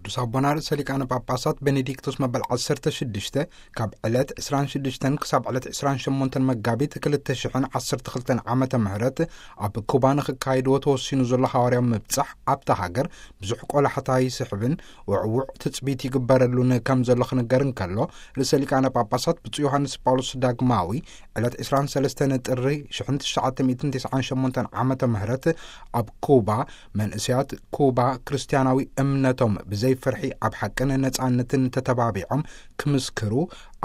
ቅዱስ ኣቦና ርእሰ ሊቃነ ጳጳሳት ቤኔዲክቶስ መበል ዓሰርተ ሽዱሽተ ካብ ዕለት ዕስራን ሽዱሽተን ክሳብ ዕለት ዕስራን ሸሞንተን መጋቢት ክልተ ሽሕን ዓሰርተ ክልተን ዓመተ ምህረት ኣብ ኩባ ንክካየድዎ ተወሲኑ ዘሎ ሃዋርያዊ ምብጻሕ ኣብታ ሃገር ብዙሕ ቆላሕታ ይስሕብን ውዕውዕ ትጽቢት ይግበረሉን ከም ዘሎ ክንገር እንከሎ፣ ርእሰ ሊቃነ ጳጳሳት ብፁዕ ዮሃንስ ጳውሎስ ዳግማዊ ዕለት ዕስራን ሰለስተን ጥሪ ሽሕን ትሽዓተ ሚእትን ተስዓን ሸሞንተን ዓመተ ምህረት ኣብ ኩባ መንእሰያት ኩባ ክርስትያናዊ እምነቶም ብዘይ ፍርሒ ኣብ ሓቅን ነጻነትን ተተባቢዖም ክምስክሩ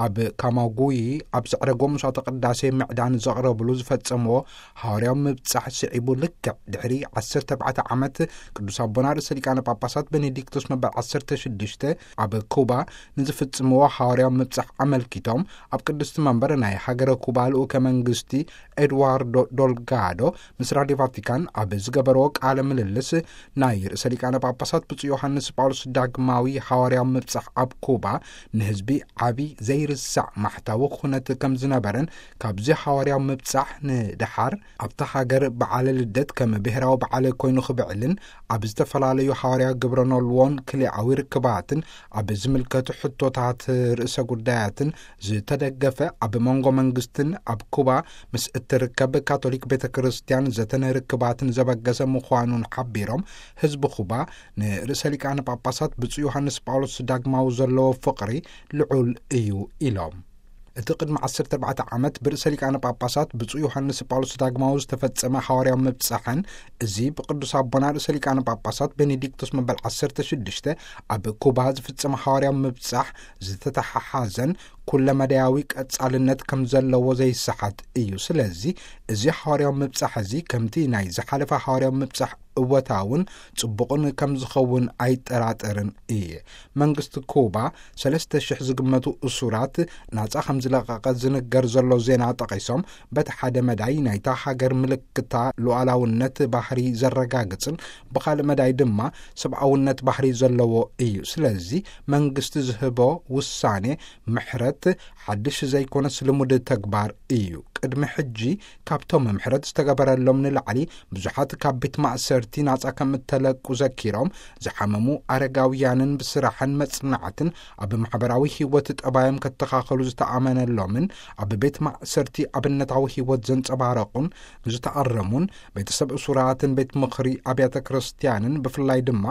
ኣብ ካማጉዪ ኣብ ዘዕረጎ መስዋዕተ ቅዳሴ ምዕዳን ዘቕረብሉ ዝፈጸምዎ ሃዋርያዊ ምብጻሕ ስዒቡ ልክዕ ድሕሪ ዓሰርተ ኣርባዕተ ዓመት ቅዱስ ኣቦና ርእሰ ሊቃነ ጳጳሳት ቤኔዲክቶስ መበል ዓሰርተ ሽዱሽተ ኣብ ኩባ ንዝፍጽምዎ ሃዋርያዊ ምብጻሕ ኣመልኪቶም ኣብ ቅድስቲ መንበር ናይ ሃገረ ኩባ ልኡከ መንግስቲ ኤድዋርዶ ዶልጋዶ ምስ ራድዮ ቫቲካን ኣብ ዝገበርዎ ቃለ ምልልስ ናይ ርእሰ ሊቃነ ጳጳሳት ብፁዕ ዮሃንስ ጳውሎስ ዳግማዊ ሃዋርያዊ ምብጻሕ ኣብ ኩባ ንህዝቢ ዓቢ ዘይርሳዕ ማሕታዊ ኩነት ከም ዝነበረን ካብዚ ሃዋርያዊ ምብጻሕ ንደሓር ኣብታ ሃገር በዓለ ልደት ከም ብሔራዊ በዓል ኮይኑ ክብዕልን ኣብ ዝተፈላለዩ ሃዋርያዊ ግብረ ኖልዎን ክልኣዊ ርክባትን ኣብ ዝምልከቱ ሕቶታት ርእሰ ጉዳያትን ዝተደገፈ ኣብ መንጎ መንግስትን ኣብ ኩባ ምስ እትርከብ ካቶሊክ ቤተ ክርስቲያን ዘተን ርክባትን ዘበገሰ ምዃኑን ሓቢሮም ህዝቢ ኩባ ንርእሰ ሊቃነ ጳጳሳት ብፁዕ ዮሃንስ ጳውሎስ ዳግማዊ ዘለዎ ፍቕሪ ልዑል እዩ ኢሎም። እቲ ቅድሚ ዓሰርተ ኣርባዕተ ዓመት ብርእሰ ሊቃነ ጳጳሳት ብፁዕ ዮሃንስ ጳውሎስ ዳግማዊ ዝተፈጸመ ሃዋርያዊ ምብጻሕን እዚ ብቅዱስ ኣቦና ርእሰ ሊቃነ ጳጳሳት ቤኔዲክቶስ መበል ዓሰርተ ሽዱሽተ ኣብ ኩባ ዝፍጸመ ሃዋርያዊ ምብጻሕ ዝተተሓሓዘን ኩለመዳያዊ ቀጻልነት ከም ዘለዎ ዘይሰሓት እዩ። ስለዚ እዚ ሃዋርያዊ ምብጻሕ እዚ ከምቲ ናይ ዝሓለፈ ሃዋርያዊ ምብጻሕ እወታውን ጽቡቕን ከም ዝኸውን ኣይጠራጠርን እየ። መንግስቲ ኩባ ሰለስተ ሽሕ ዝግመቱ እሱራት ናጻ ከም ዝለቐቐ ዝንገር ዘሎ ዜና ጠቒሶም፣ በቲ ሓደ መዳይ ናይታ ሃገር ምልክታ ሉዓላውነት ባህሪ ዘረጋግጽን ብኻልእ መዳይ ድማ ሰብኣውነት ባህሪ ዘለዎ እዩ። ስለዚ መንግስቲ ዝህቦ ውሳኔ ምሕረት ሓድሽ ዘይኮነስ ልሙድ ተግባር እዩ። ቅድሚ ሕጂ ካብቶም ምሕረት ዝተገበረሎም ንላዕሊ ብዙሓት ካብ ቤት ማእሰርቲ ናጻ ከም እተለቁ ዘኪሮም፣ ዝሓመሙ ኣረጋውያንን ብስራሕን መጽናዕትን ኣብ ማሕበራዊ ህይወት ጠባዮም ከተኻኸሉ ዝተኣመነሎምን ኣብ ቤት ማእሰርቲ ኣብነታዊ ህይወት ዘንጸባረቑን ዝተኣረሙን ቤተሰብ እሱራትን ቤት ምኽሪ ኣብያተ ክርስቲያንን ብፍላይ ድማ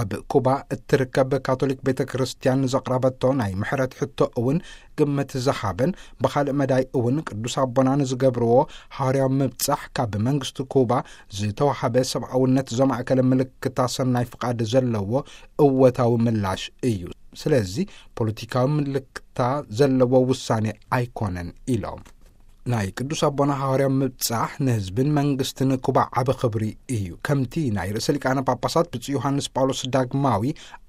ኣብ ኩባ እትርከብ ካቶሊክ ቤተ ክርስቲያን ዘቕረበቶ ናይ ምሕረት ሕቶ እውን ግምት ዝሃበን ብኻልእ መዳይ እውን ቅዱስ ኣቦና ንዝገብርዎ ሃዋርያዊ ምብጻሕ ካብ መንግስቲ ኩባ ዝተዋሃበ ሰብኣውነት ዘማእከለ ምልክታ ሰናይ ፍቓድ ዘለዎ እወታዊ ምላሽ እዩ። ስለዚ ፖለቲካዊ ምልክታ ዘለዎ ውሳኔ ኣይኮነን ኢሎም። ናይ ቅዱስ ኣቦና ሃዋርያዊ ምብጻሕ ንህዝብን መንግስትን ኩባ ዓቢ ክብሪ እዩ። ከምቲ ናይ ርእሰ ሊቃነ ጳጳሳት ብፁዕ ዮሃንስ ጳውሎስ ዳግማዊ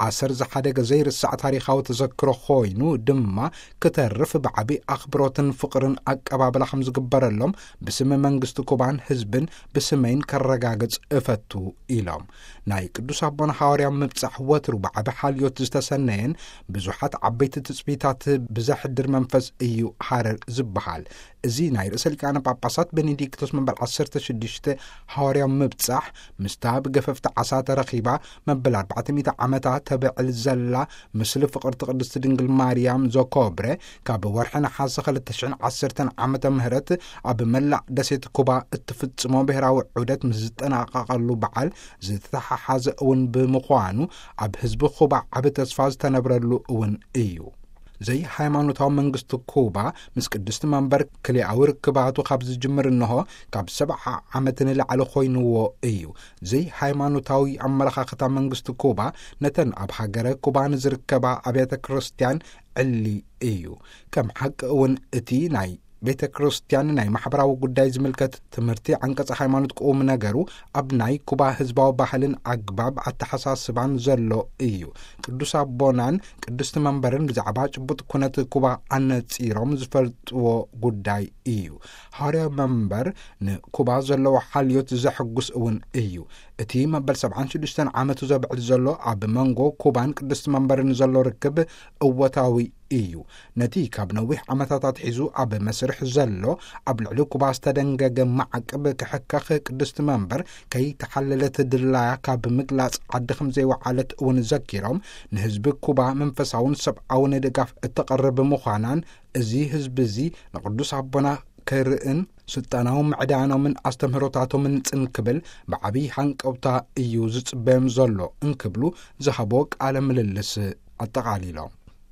ኣሰር ዝሓደገ ዘይርሳዕ ታሪኻዊ ተዘክሮ ኮይኑ ድማ ክተርፍ ብዓቢ ኣኽብሮትን ፍቕርን ኣቀባብላ ከም ዝግበረሎም ብስም መንግስቲ ኩባን ህዝብን ብስመይን ከረጋግጽ እፈቱ ኢሎም። ናይ ቅዱስ ኣቦና ሃዋርያዊ ምብጻሕ ወትሩ ብዓቢ ሓልዮት ዝተሰነየን ብዙሓት ዓበይቲ ትጽቢታት ብዘሕድር መንፈስ እዩ ሃረር ዝበሃል። እዚ ናይ ርእሰ ሊቃነ ጳጳሳት ቤኔዲክቶስ መበል ዓሰርተ ሽዱሽተ ሃዋርያዊ ምብጻሕ ምስታ ብገፈፍቲ ዓሳ ተረኺባ መበል ኣርባዕተ ሚእቲ ዓመታ ተብዕል ዘላ ምስሊ ፍቕርቲ ቅድስቲ ድንግል ማርያም ዘኮብረ ካብ ወርሒ ነሓሰ ክልተ ሽሕን ዓሰርተን ዓመተ ምህረት ኣብ መላእ ደሴት ኩባ እትፍጽሞ ብሔራዊ ዑደት ምስ ዝጠናቐቐሉ በዓል ዝተተሓሓዘ እውን ብምዃኑ ኣብ ህዝቢ ኩባ ዓቢ ተስፋ ዝተነብረሉ እውን እዩ። ዘይሃይማኖታዊ መንግስቲ ኩባ ምስ ቅድስቲ መንበር ክልኣዊ ርክባቱ ካብ ዝጅምር እንሆ ካብ ሰብዓ ዓመት ንላዕሊ ኮይንዎ እዩ። ዘይሃይማኖታዊ ኣመለኻኽታ መንግስቲ ኩባ ነተን ኣብ ሃገረ ኩባ ንዝርከባ ኣብያተ ክርስቲያን ዕሊ እዩ። ከም ሓቂ እውን እቲ ናይ ቤተ ክርስቲያን ናይ ማሕበራዊ ጉዳይ ዝምልከት ትምህርቲ ዓንቀጸ ሃይማኖት ቁም ነገሩ ኣብ ናይ ኩባ ህዝባዊ ባህልን ኣግባብ ኣተሓሳስባን ዘሎ እዩ። ቅዱስ ኣቦናን ቅድስቲ መንበርን ብዛዕባ ጭቡጥ ኩነት ኩባ ኣነጺሮም ዝፈልጥዎ ጉዳይ እዩ። ሃዋርያዊ መንበር ንኩባ ዘለዎ ሓልዮት ዘሐጉስ እውን እዩ። እቲ መበል ሰብዓን ሽዱሽተን ዓመቱ ዘብዕል ዘሎ ኣብ መንጎ ኩባን ቅድስቲ መንበርን ዘሎ ርክብ እወታዊ እዩ። ነቲ ካብ ነዊሕ ዓመታት ኣትሒዙ ኣብ መስርሕ ዘሎ ኣብ ልዕሊ ኩባ ዝተደንገገ ማዕቅብ ክሕከኽ ቅድስቲ መንበር ከይተሓለለት ድላያ ካብ ምግላጽ ዓዲ ከም ዘይወዓለት እውን ዘኪሮም፣ ንህዝቢ ኩባ መንፈሳውን ሰብኣውን ድጋፍ እተቐርብ ምዃናን፣ እዚ ህዝቢ እዚ ንቅዱስ ኣቦና ክርእን ስልጣናዊ ምዕዳኖምን ኣስተምህሮታቶምን ጽን ክብል ብዓብዪ ሃንቀውታ እዩ ዝጽበዮም ዘሎ እንክብሉ ዝሃቦ ቃለ ምልልስ ኣጠቓሊሎም።